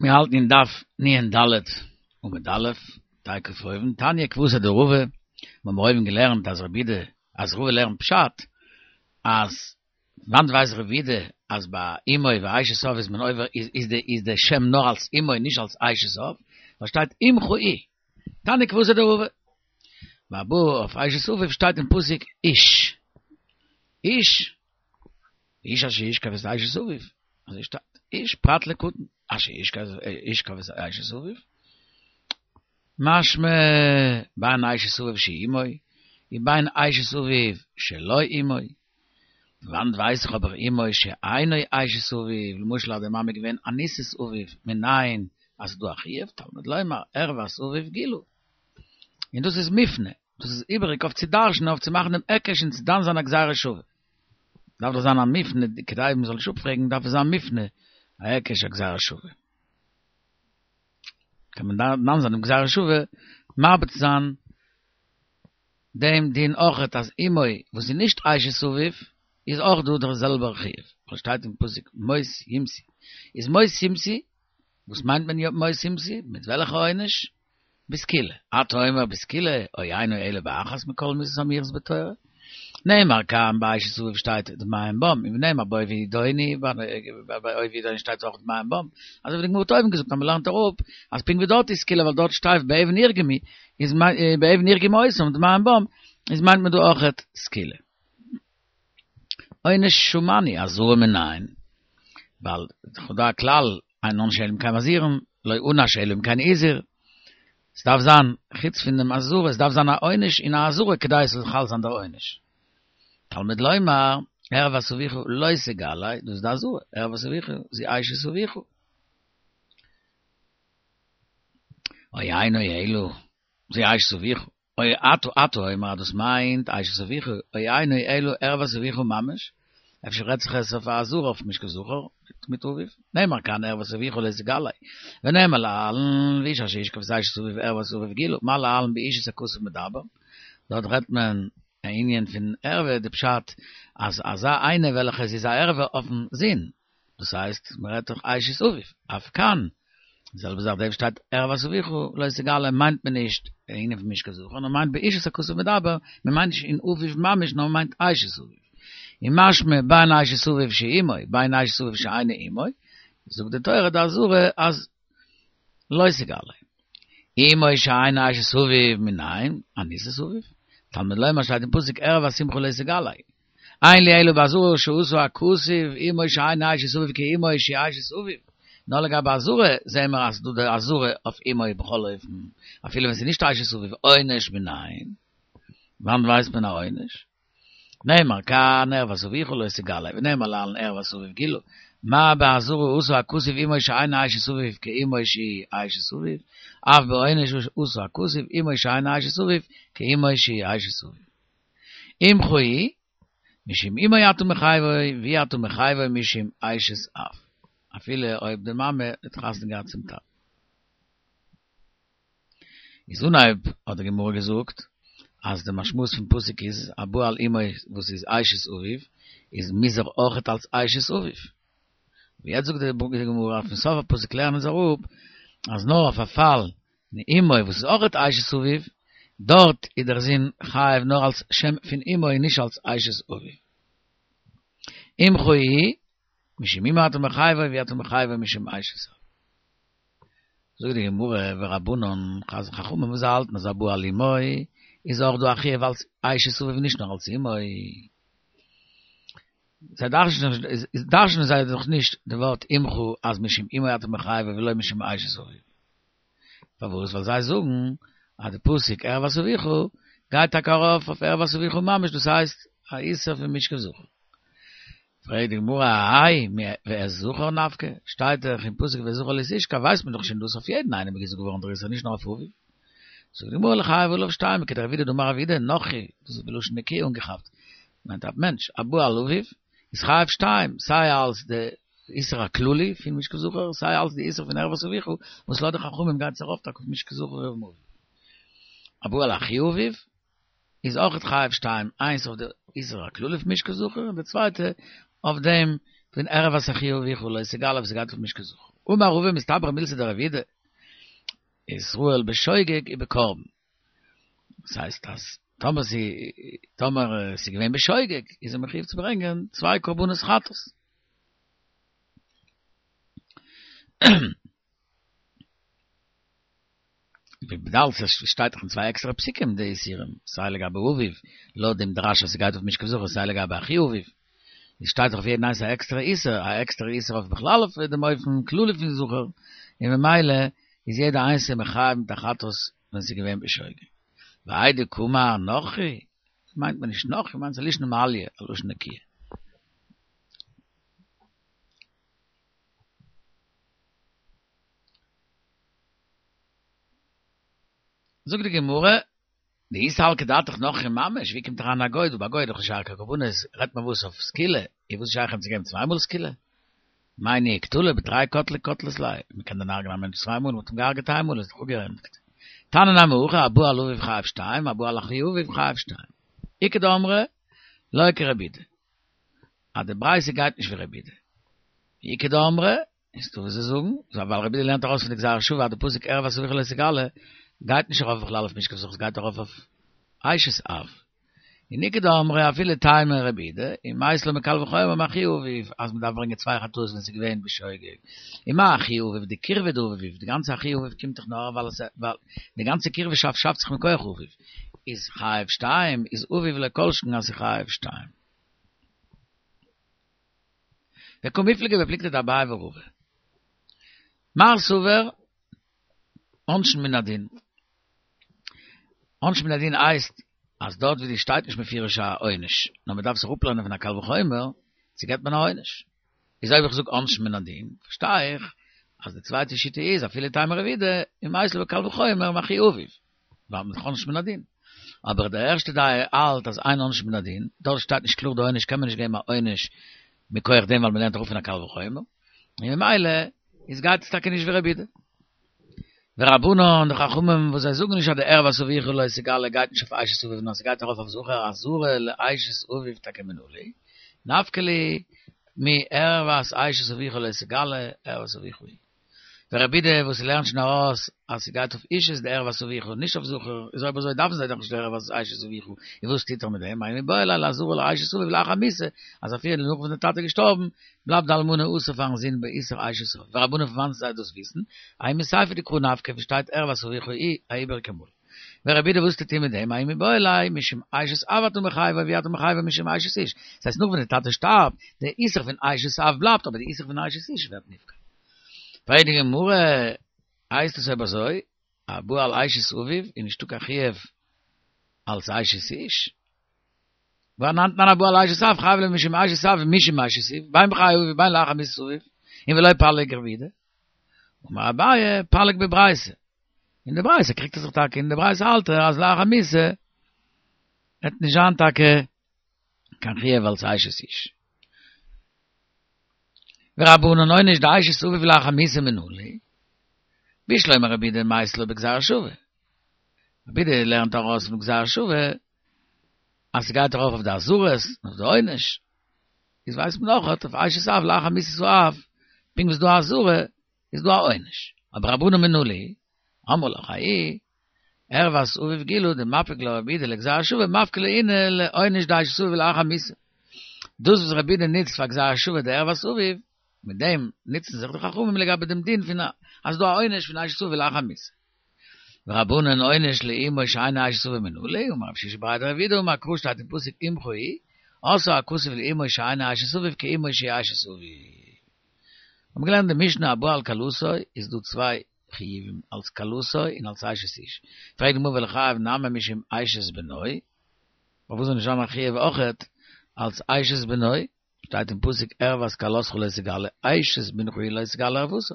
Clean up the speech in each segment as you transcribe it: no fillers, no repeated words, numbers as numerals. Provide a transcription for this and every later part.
מיר האלטן אין דף נ"ד עמוד א', תיכף אויבן, תניא כוותיה דרבא, מיר האבן אויבן געלערנט אז רבי יהודה, אז רבא לערנט פשט, אז וואנעט ווייסט רבי יהודה אז ביי אמו ואשת אב איז מען עובר איז די איז די שם נאר אלס אמו נישט אלס אשת אב, ווייל שטייט אמך היא, תניא כוותיה דרבא. והבא אויף אשת אביו שטייט אין פסוק איש, איש, איש אשר ישכב את אשת אביו, אזוי שטייט, איש פרט לקטן, אשר ישכב את אשת אביו, משמע בין אשת אביו שהיא אמו, ובין אשת אביו שלא אמו, וואנעט ווייס איך אבער אמו שאינו אשת אביו, למשל אז די מאמע איז געווען אנוסת אביו, מנין אז ס'דא א חיוב, תלמוד לומר ערות אביו גילו. און דאס איז מופנה, דאס איז איבעריג אויף צו דרש'נען אויף צו מאכן דעם היקש און צו דן זיין א גזירה שווה. דארף דאך זיין א מופנה, כדי מ'זאל נישט אפפרעגן דארף עס זיין מופנה א היקש א גזירה שווה. קען מען דן זיין דעם גזירה שווה מרבה צו זיין דעם דין אויכעט אז אמו וואס איז נישט אשת אביו איז אויך דא דער זעלבער חיוב, ווייל שטייט אין פסוק מות יומתו, איז מות יומתו, וואס מיינט מען מות יומתו? מיט וועלכע עונש? בסקילה, אתה אומר בסקילה, או אינו אלא באחת מכל מיתות האמורות בתורה. נאמר כאן באשת אביו שטייט דמיהם בם, און ונאמר בו וידונו, ביי בו וידונו שטייט אויך דמיהם בם, אזוי ווי די גמרא האט אויבן געזאגט אז מען לערנט אראפ אז פונקט ווי דארט איז סקילה ווייל דארט שטייט באבן ירגמו, איז באבן ירגמו אותם דמיהם בם, איז מיינט מען דא אויכעט סקילה. עונש שמענו אזהרה מנין, ווייל ס'דא א כלל אין עונשין אלא אם כן מזהירין, לא ענש אלא אם כן הזהיר, ס'דארף זיין, חוץ פון דעם אזהרה, עס דארף זיין א עונש און א אזהרה כדי עס זאל חל זיין דער עונש. תלמוד לומר, ערות אביך לא תגלה, דאס איז די אזהרה, ערות אביך, זו אשת אביך. או אינו אלא, זו אשת אביך. או אתה אתה אומר אז דאס מיינט אשת אביך, או אינו אלא ערות אביך ממש, אפשר רעדט זיך עס אויף א אזהרה אויף משכב זכר מיט אביו, נאמר כאן ערות אביך לא תגלה, ונאמר להלן ואיש אשר ישכב את אשת אביו ערות אביו גילו, מה להלן באישות הכתוב מדבר, דארט רעדט מען א ענין פון ערווה, די פשט אז אזא איינע וועלכע עס איז א ערווה אויפן זון, דאס הייסט מען רעדט דאך אשת אביו, אף כאן, די זעלבע זאך דא שטייט ערות אביך לא תגלה מיינט מען נישט ענין פון משכב זכר נאר מיינט באישות הכתוב מדבר, מען מיינט נישט אין אביו ממש נאר מען מיינט אשת אביו. און משמע בין אשת אביו שהיא אמו בין אשת אביו שאינה אמו, זאגט די תורה די אזהרה אז לא תגלה. אמו שאינה אשת אביו מנין, אנוסת אביו, תלמוד לומר שטייט אין פסוק ערות אמך לא תגלה. אין לי אלא באזהרה שעשה הכתוב אמו שאינה אשת אביו כאמו שהיא אשת אביו, נאר לגבי אזהרה זעהן מיר אז ס'דא די אזהרה אויף אמו בכל אופן, אפילו ווען ס'איז נישט אשת אביו, עונש מנין? וואנעט ווייסט מען א עונש? נאמר כאן ערות אביך לא תגלה, ונאמר להלן ערות אביו גילו, מה באזהרה עשה הכתוב אמו שאינה אשת אביו כאמו שהיא אשת אביו, אף בעונש עשה הכתוב אמו שאינה אשת אביו כאמו שהיא אשת אביו. אמך היא, משום אמו אתה מחייבו, ואי אתה מחייבו משום אשת אב. אפילו אויב די מאמע האט חתונה געהאט צום טאטן. איז אנהייב האט די גמרא געזאגט אז די משמעות פון פסוק איז הבא על אמו וואס איז אשת אביו איז מוז ער אויכעט אלס אשת אביו. אבער יעצט זאגט די גמרא פון סוף הפסוק לערנען אונז אראפ אז נאר אויף א פאל אמו וואס איז אויכעט אשת אביו, דארט איז דער זון חייב נאר אלס שם פון אמו און נישט אלס אשת אביו. אמך היא, משום אמו אתה מחייבו ואי אתה מחייבו משום אשת אב. זאגט די גמרא ורבנן חכמים וואס זיי האלטן אז הבא על אמו איז אויך דא א חיוב אלס אשת אביו נישט נאר אלס אמו. זיי דרש'נען זיי דאך נישט די ווארט אמך אז משום אמו אתה מחייבו ולא משום אשת אביו. פארוואס? ווייל זיי זאגן אז די פסוק ערות אביך גייט טאקע ארויף אויף ערות אביך ממש דאס הייסט א איסור פון משכב זכר. פרעגט די גמרא אהייא ואת זכר נפקא, שטייט דאך אין פסוק ואת זכר לא תשכב ווייסט מען דאך שוין דאס אויף יעדן איינעם איז געזאגט געווארן דער איסור נישט נאר אויף אביו. זאגט די גמרא לחייב עליו שתיים כדרב יהודה דאמר רב יהודה נכרי דאס איז בלשון נקיה אנגעכאפט מיינט א מענטש הבא על אביו איז חייב שתיים סיי אלס די איסור הכללי פון משכב זכר סיי אלס די איסור פון ערות אביך וואס לויט די חכמים גייט עס ארויף טאקע אויף משכב זכר אויף אביו. הבא על אחי אביו איז אויכעט חייב שתיים איינס אויף די איסור הכללי פון משכב זכר און די צווייטע אויף דעם פון ערות אחי אביך לא תגלה וואס גייט אויף משכב זכר. אמר רבא מסתברא מילתא דרבי יהודה, ישראל בשוגג ובקרבן. דאס הייסט אז טאמער ס'איז טאמער ס'איז געווען בשוגג איז ער מחויב צו ברענגען צוויי קרבנות חטאת. וויבאלד ס'שטייט דאך אין צוויי עקסטערע פסוקים די איסורים, סיי לגבי אביו, לויט דעם דרש אז ס'גייט אויף משכב זכר, סיי לגבי אחי אביו, איז שטייט דאך אויף יעדן איינס א עקסטערע איסור, א עקסטערע איסור אויף בכלל אויף דעם אופן כללי פון זכר, און ממילא איז יעדע איינס מחויב מיט א חטאת ווען ס'איז געווען בשוגג. והאי דקאמר נכרי, מיינט מען נישט נכרי, מיינט ס'איז א לישנא מעליא, א לשון נקיה. זאגט די גמרא, דאי סלקא דעתך נכרי ממש, ווי קומט אריין א גוי דא? ביי גוי איז דאך נישט שייך קיין קרבנות, רעדט מען וואס אויף סקילה, איז וואס שייך אים צו געבן צוויי מאל סקילה? מאי ניהו קטלא בתרי קטלי קטלת ליה, מען קען דען הרג'נען א מענטש צוויי מאל, מען האט אים געהרג'עט איין מאל איז דאך אפגעענדיגט. תניא נמי הכי, הבא על אביו חייב שתיים, הבא על אחי אביו חייב שתיים. איכא דאמרי, לא כרבי יהודה. אז די ברייתא גייט נישט ווי רבי יהודה. איכא דאמרי, איז דא וואס זיי זאגן, ווייל רבי יהודה לערנט ארויס פון די גזירה שוה אז די פסוק ערות אביך לא תגלה גייט נישט ארויף בכלל אויף משכב זכר, ס'גייט ארויף אויף אשת אב. און איכא דאמרי אפילו טעמא רבי יהודה, ומייתי לה מקל וחומר מאחי אביו אז מ'דארף ברענגען צוויי חטאות ווען ס'איז געווען בשוגג. און מה אחי אביו דקירבה דאביו, די גאנצע אחי אביו קומט דאך נאר ווייל עס ווייל די גאנצע קירבהשאפט שאפט זיך מכח אביו, איז חייב שתיים, איז אביו לא כל שכן אז ס'איז חייב שתיים. וקמיפלגי בפלוגתא דאביי ורבא. מר סבר עונשין מן הדין. עונשין מן הדין הייסט אז דארט ווי די שטייט נישט מפורש א עונש, נאר מען דארף זיך אפלערנען פון א קל וחומר, צו געבט מען א עונש. איז אויב איך זאג עונשין מן הדין, פארשטיי איך אז די צווייטע שיטה איז אפילו טעמא רבי יהודה, ומייתי לה בקל וחומר מאחי אביו. ווייל מ'איז עונשין מן הדין. אבער די ערשטע דעה האלט אז אין עונשין מן הדין, דארט שטייט נישט קלאר די עונש קען מען נישט געבן א עונש מכח דעם ווייל מ'לערנט אראפ פון א קל וחומר, און ממילא איז גייט עס טאקע נישט ווי רבי יהודה. ורבנן, די חכמים וואס זיי זאגן נישט אז די ערות אביך לא תגלה גייט נישט אויף אשת אביו נאר ס'גייט ארויף אויף זכר אזהרה לאשת אביו טאקע מנא להו, נפקא להו מערות אשת אביך לא תגלה ערות אביך היא. ורבי יהודה וואס לערנט שוין ארויס אז ס'גייט אויף אישות די ערות אביך און נישט אויף זכר, איז אויב אזוי דארפן זיי דאך נישט די ערות אשת אביך, און וואס טוט ער מיט דעם? מאי מיבעי ליה לאזהרה לאשת אביו לאחר מיתה, אז אפילו נאך וואס די טאטע איז געשטארבן, בלייבט די אלמנה אסור פארן זון באיסור אשת אב. ורבנן פון וואנעט זיי דאס וויסן? ההוא מסיפא דקרא נפקא ווי שטייט ערות אביך היא א איבעריגע מאל. ורבי יהודה וואס טוט ער מיט דעם? מאי מיבעי ליה משום אשת אב אתה מחייבו ואי אתה מחייבו משום אשת איש. דאס הייסט נאך ווען די טאטע שטארבט, די איסור פון אשת אב בלייבט אבער די איסור פון אשת איש ווערט נפקע. פרעגט די גמרא, הייסט עס אויב אזוי, הבא על אשת אביו איז נישטא קיין חיוב אלס אשת איש? והא אנן תנן הבא על אשת אב חייב משום אשת אב ומשום אשת איש, בין בחיי אביו ובין לאחר מיתת אביו, און ולא פליג רבי יהודה. אמר אביי, פליג בברייתא. אין די ברייתא קריגט ער זיך טאקע, אין די ברייתא האלט ער אז לאחר מיתה וועט נישט זיין טאקע קיין חיוב אלס אשת איש. ורבנן עונש דאשת אביו לאחר מיתה מנא להו, בשלמא רבי יהודה מייתי לה בגזירה שווה. רבי יהודה לערנט ארויס פון גזירה שווה אז ס'גייט ארויף אויף די אזהרות און אויף די עונש. איז ווייסט מען אויך אויף אשת אב לאחר מיתת האב, פונקט ווי ס'איז דא א אזהרה איז דא א עונש. אבער רבנן מנא להו, אמרי לך ההוא, ערות אביו גילו דמפיק לה רבי יהודה לגזירה שווה מפקא לה אינהו לעונש דאשת אביו לאחר מיתה. דאס וואס רבי יהודה נוצט פאר גזירה שווה די ערות אביו, מיט דעם נוצן זיך די חכמים לגבי דעם דין פון אז ס'דא א עונש פון אשת אביו לאחר מיתה. ורבנן עונש לאמו שאינה אשת אביו מנא להו, אמר רב שישא בריה דרב אידי אמר קרא שטייט אין פסוק אמך היא, עשה הכתוב לאמו שאינה אשת אביו כאמו שהיא אשת אביו. האבן געלערנט די משנה הבא על כלתו איז דא צוויי חיובים אלס כלתו און אלס אשת איש, פרעגט די גמרא וליחייב נמי משום אשת בנו, פארוואס זאל נישט זיין א חיוב אויכעט אלס אשת בנו, שטייט אין פסוק ערות כלתך לא תגלה, אשת בנך היא לא תגלה ערותה,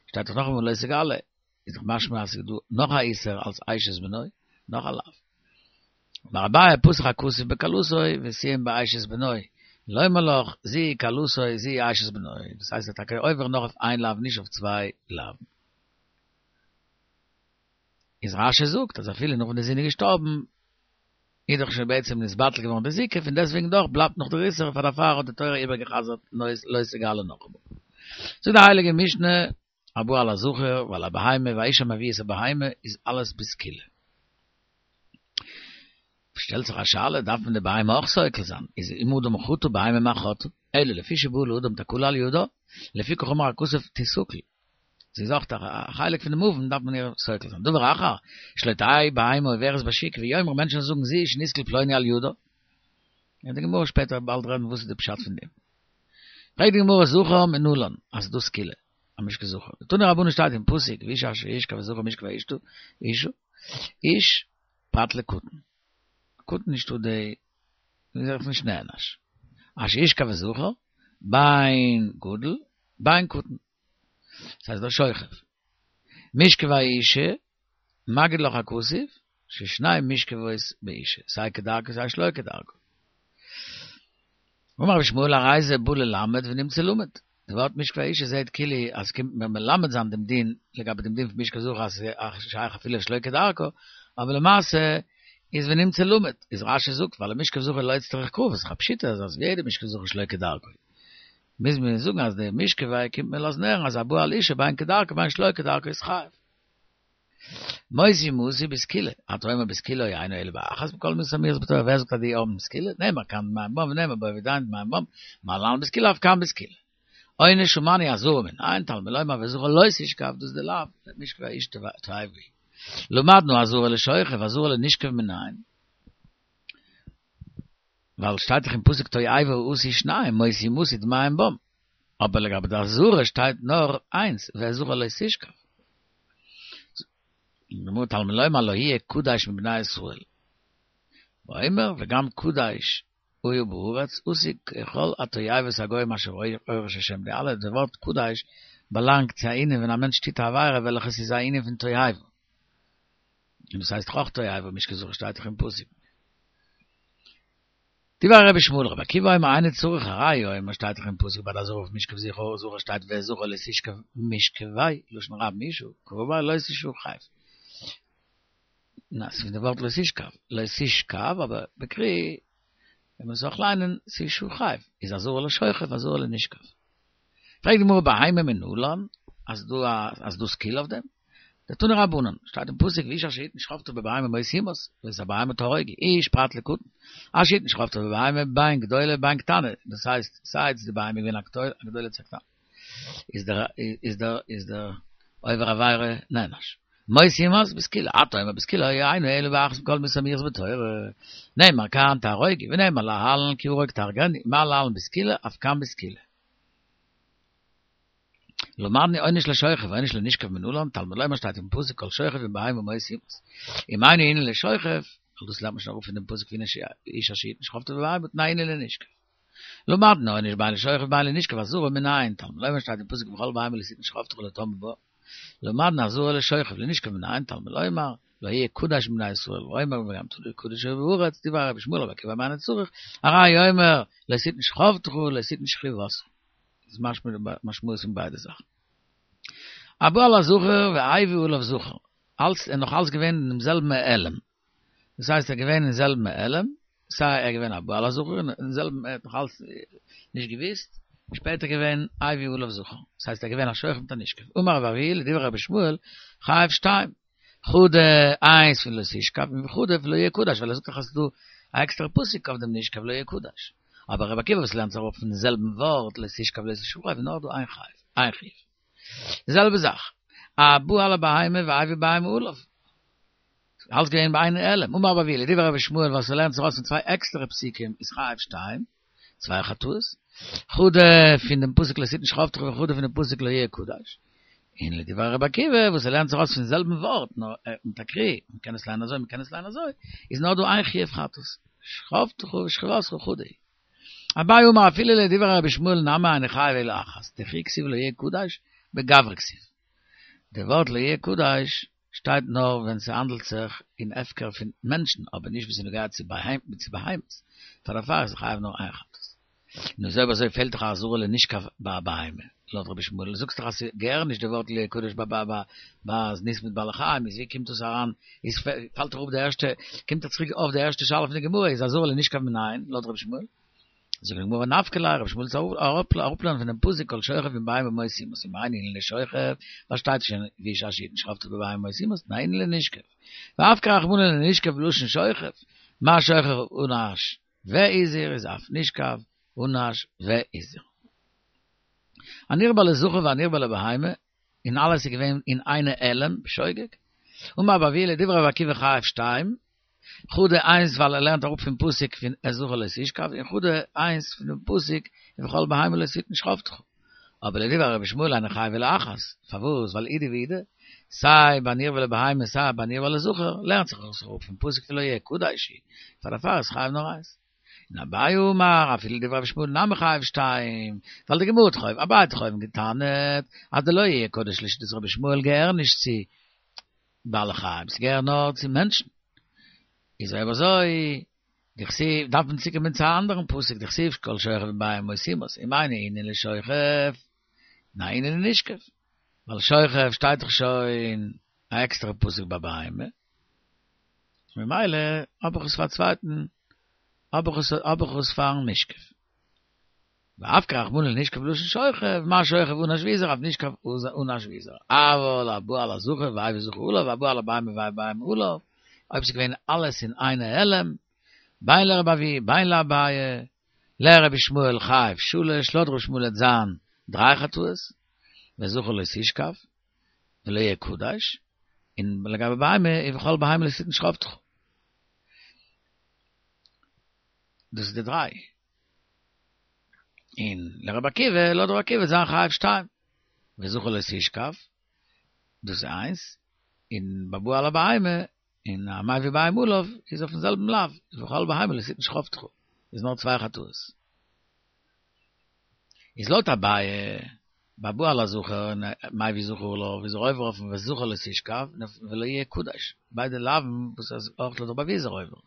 שטייט דאך נאכאמאל לא תגלה, איז דאך משמע אז ס'איז דא נאך א איסור אלס אשת בנו, נאך א לאו. אמר אביי פתח הכתוב בכלתו וסיים באשת בנו, לומר לך זו היא כלתו זו היא אשת בנו, דאס הייסט ער איז טאקע עובר נאר אויף איין לאו נישט אויף צוויי לאוו'ן. איז רש"י זאגט אז אפילו נאך ווען די זון איז געשטארבן איז דאך שוין בעצם נתבטל געווארן די זיקה פון דעסטוועגן דאך בלייבט נאך דער איסור פאר דערפאר האט די תורה איבערגעחזרט לא תגלה נאכאמאל. זאגט די הייליגע משנה. הבא על הזכר ועל הבהמה והאיש המביא את הבהמה איז אלעס בסקילה. שטעלט זיך א שאלה, דארף מען די בהמה אויך סוקל זיין? איז אם אדם חטא בהמה מה חטאה? אלא לפי שבא לאדם תקלה על ידה, לפיכך אמר הכתוב תסקל. זי איז אויך א חלק פון דעם עון דארף מען איר סוקל זיין. דבר אחר, שלא תהא בהמה עוברת בשוק ויאמרו מענטשן זאגן זו שנסקל פלוני על ידה. וועט די גמרא שפעטער באלד רעדן וואס איז די פשט פון דעם. פרעגט די גמרא זכר מנלן אז ס'דא סקילה, א משכב זכר. דתנו רבנן שטייט אין פסוק ואיש אשר ישכב את זכר משכבי אשתו, אשה, איש פרט לקטן. קטן נישטא די, איז ער נישט נענש. אשר ישכב את זכר, בין גדול, בין קטן. דאס הייסט דער שוכב. משכבי אשה, מגיד לך הכתוב, ששני משכבות באשה, סיי כדרכו סיי שלא כדרכו. אמר רבי ישמעאל הרי זה בא ללמד ונמצא למד. די ווארט משכבי אשה זעהט כאילו אז קומט מיר מלמד זיין דעם דין לגבי דעם דין פון משכב זכר אז ס'איז שייך אפילו שלא כדרכו, אבער למעשה איז ונמצא למד, איז רש"י זאגט ווייל משכב זכר לא איצטריך קרא, ס'איז א פשיטא אז ווי יעדע משכב זכר שלא כדרכו. מוז מען זאגן אז די משכבי קומט מיר לאזן הערן אז הבא על אשה בין כדרכו בין שלא כדרכו איז חייב. מות יומתו בסקילה, אתה אומר בסקילה או אינו אלא באחת מכל מיתות האמורות בתורה, ווער זאגט אז די האבן סקילה? נאמר כאן דמים בם ונאמר בו ודיין דמים בם, מה להלן בסקילה אף כאן בסקילה. עונש ומנו אזהרה מנין, תלמוד לומר ואת זכר לא תשכב, דאס די לאו, משכבי אשה תועבה. למדנו אזהרה לשוכב, אזהרה לנשכב מנין. ווייל שטייט דאך אין פסוק תועבה עשו שנים מות יומתו דמים בם, אבער לגבי די אזהרה שטייט נאר איינס ואת זכר לא תשכב. גמרא תלמוד לומר לא יהיה קדש מבני ישראל. ואומר וגם קדש היה בארץ עשו ככל התועבות הגוים אשר הורש השם די אלע די ווארט קדש באלאנגט צו א ענין ווען א מענטש טוט א עבירה וועלכעס איז א ענין פון תועבה. און דאס הייסט דאך אויך תועבה משכב זכר שטייט דאך אין פסוק. דברי רבי ישמעאל רבי עקיבא אומר אינו צריך הראיה הוא אומר שטייט דאך אין פסוק ביי די אזהרה אויף משכב זכר זכר שטייט ואת זכר לא תשכב משכבי לשון רבים אשה קרא לא תשאו חייב. נא, ס'איז פון די ווארט לא תשכב, לא תשכב אבער בקרי ווען מען זאל אויך ליינען תשאו חייב איז אזהרה לשוכב אזהרה לנשכב. פרעגט די גמרא בהמה מנלן אז דא אז דא סקילה אויף דעם? דתנו רבנן, שטייט אין פסוק ואיש אשר יתן שכבתו בבהמה מות יומת, ואת הבהמה תהרוגו, איש פרט לקטן, אשר יתן שכבתו בבהמה בין גדולה בין קטנה, דאס הייסט סיי איז די בהמה געווען א גדולה צו א קטנה, איז דער איז דער איז דער עובר עבירה נענש. מות יומת בסקילה, אתה אומר בסקילה או אינו אלא באחת מכל מיתות האמורות בתורה, נאמר כאן תהרוגו ונאמר להלן כי הרוג תהרגנו, מה להלן בסקילה אף כאן בסקילה. למדנו עונש לשוכב עונש לנשכב מנלן, תלמוד לומר שטייט אין פסוק כל שוכב עם בהמה מות יומת. אם אינו ענין לשוכב, דאס לערנט מען שוין אראפ פון דעם פסוק פון איש אשר יתן שכבתו בבהמה תנאי ענין לנשכב. למדנו עונש בין לשוכב בין לנשכב אזהרה מנין, תלמוד לומר שטייט אין פסוק וכל בהמה לא תתן שכבתך לטמא בה. למדנו אזהרה לשוכב לנשכב מנין, תלמוד לומר לא יהיה קדש מבני ישראל, ואומר וגם קדש היה בארץ, דברי רבי ישמעאל רבי עקיבא אינו צריך, הראיה הוא אומר, לא תתן שכבתך, לא תתן שכיבתך. איז משמע משמעות פון ביידע זאכן. הבא על הזכר והביא עליו זכר, אלץ ער נאך אלץ געווען אין דעם זעלבן העלם. דאס הייסט ער געווען אין זעלבן העלם, סיי ער געווען א בא על הזכר אין זעלבן ער האט נאך אלץ נישט געוויסט, שפעטער געווען הביא עליו זכר, דאס הייסט ער געווען א שוכב מיט א נשכב. אמר רבי אבהו לדברי רבי ישמעאל, חייב שתיים. חדא איינס פון לא תשכב און חדא פון לא יהיה קדש, ווייל ער זאגט דאך אז ס'איז דא א עקסטערע פסוק אויף דעם נשכב לא יהיה קדש. אבער רבי עקיבא וואס לערנט זיך אראפ פון זעלבן ווארט לא תשכב לא תשאו איז נאר דא איין חייב, איין חיוב. די זעלבע זאך, הבא על הבהמה והביא בהמה עליו. אלץ געווען באיין העלם. אמר רבי אבהו לדברי רבי ישמעאל וואס ער לערנט זיך ארויס פון צוויי עקסטערע פסוקים איז חייב שתיים, צוויי חטאות, חדא פון דעם פסוק לא תתן שכבתך וחדא פון דעם פסוק לא יהיה קדש. און לדברי רבי עקיבא וואס ער לערנט זיך ארויס פון זעלבן ווארט נאר מיט א קרי, מען קען עס ליינען אזוי מען קען עס ליינען אזוי, איז נאר דא איין חיוב חטאת, שכבתך ושכיבתך חדא היא. אביי אמר אפילו לדברי רבי ישמעאל נמי אינו חייב אלא אחת, דכי כתיב לא יהיה קדש בגברא כתיב. די ווארט לא יהיה קדש שטייט נאר ווען ס'האנדלט זיך אין הפקר פון מענטשן אבער נישט ווען ס'נוגע צו בהמות, פאר דערפאר איז חייב נאר איין חטאת. נו אויב אזוי פעלט דאך א אזהרה לנשכב ביי א בהמה, לויט רבי ישמעאל, זאגסט דאך אז ס'געהער נישט די ווארט לא יהיה קדש ביי ביי ביי זנות מיט בעלי חיים, איז ווי קומט דאס אריין, איז פאלט דאך אפ די ערשטע, קומט דאך צוריק אויף די ערשטע שאלה פון די גמרא, איז אזהרה לנשכב מנין, לויט רבי ישמעאל? זאגט די גמרא נפקא ליה רבי שמואל צו אראפלערנען פון דעם פסוק כל שוכב עם בהמה מות יומת ומאי אינהו לשוכב ווייל שטייט שוין ואיש אשר יתן שכבתו בבהמה מות יומת תנא אינהו לנשכב ואפקיה רחמנא לנשכב בלשון שוכב מה שוכב ענש והזהיר איז אף נשכב ענש והזהיר. הנרבע לזכר והנרבע לבהמה און אלעס איז געווען אין איינע העלם בשוגג אמר רבי אבהו לדברי רבי עקיבא חייב שתיים חדא איינס ווייל ער לערנט אראפ פון פסוק פון את זכר לא תשכב און חדא איינס פון דעם פסוק ובכל בהמה לא תתן שכבתך. אבער לדברי רבי ישמעאל אינו חייב אלא אחת, פארוואס ווייל אידי ואידי, סיי ביי נרבע לבהמה סיי ביי נרבע לזכר, לערנט זיך עס אראפ פון פסוק פון לא יהיה קדש הוא, פאר דערפאר איז חייב נאר איינס. און אביי אמר אפילו לדברי רבי ישמעאל נמי חייב שתיים, ווייל די גמרא האט דאך אויבן, אביי האט דאך אויבן געטענה'ט אז די לא יהיה קדש לשיטת רבי ישמעאל געהער נישט צו בעלי חיים, ס'געהער נאר צו מענטשן. איז אויב אזוי, דכתיב, דארף מען צוקומען צו א אנדערן פסוק, דכתיב כל שוכב עם בהמה מות יומת, ומאי נינהו לשוכב, תנא אינהו לנשכב. ווייל שוכב שטייט דאך שוין א עקסטערע פסוק ביי בהמה. ממילא האב איך עס פאר א צווייטן, האב איך עס, האב איך עס פארן נשכב. ואפקיה רחמנא לנשכב בלשון שוכב, מה שוכב ענש והוזהר אף נשכב ענש והוזהר. אבל הבא על הזכר והביא זכר עליו והבא על הבהמה והביא בהמה עליו, אויב ס'איז געווען אלעס אין איין העלם, בין לרבי אבהו בין לאביי, לרבי ישמעאל חייב שלש, לויט רבי ישמעאל וועט זיין דריי חטאות, ואת זכר לא תשכב, ולא יהיה קדש, און לגבי בהמה, ובכל בהמה לא תתן שכבתך. דאס איז די דריי. און לרבי עקיבא, לויט רבי עקיבא וועט זיין חייב שתיים. ואת זכר לא תשכב, דאס איז איינס, און בבא על הבהמה, און המביא בהמה עליו, איז אויפן זעלבן לאו, ובכל בהמה לא תתן שכבתך, איז נאר צוויי חטאות. איז לויט אביי, בבא על הזכר און מביא זכר עליו, איז ער עובר אויפן ואת זכר לא תשכב, ולא יהיה קדש, ביידע לאווין וואס אויך לויט רבי אבהו איז ער עובר.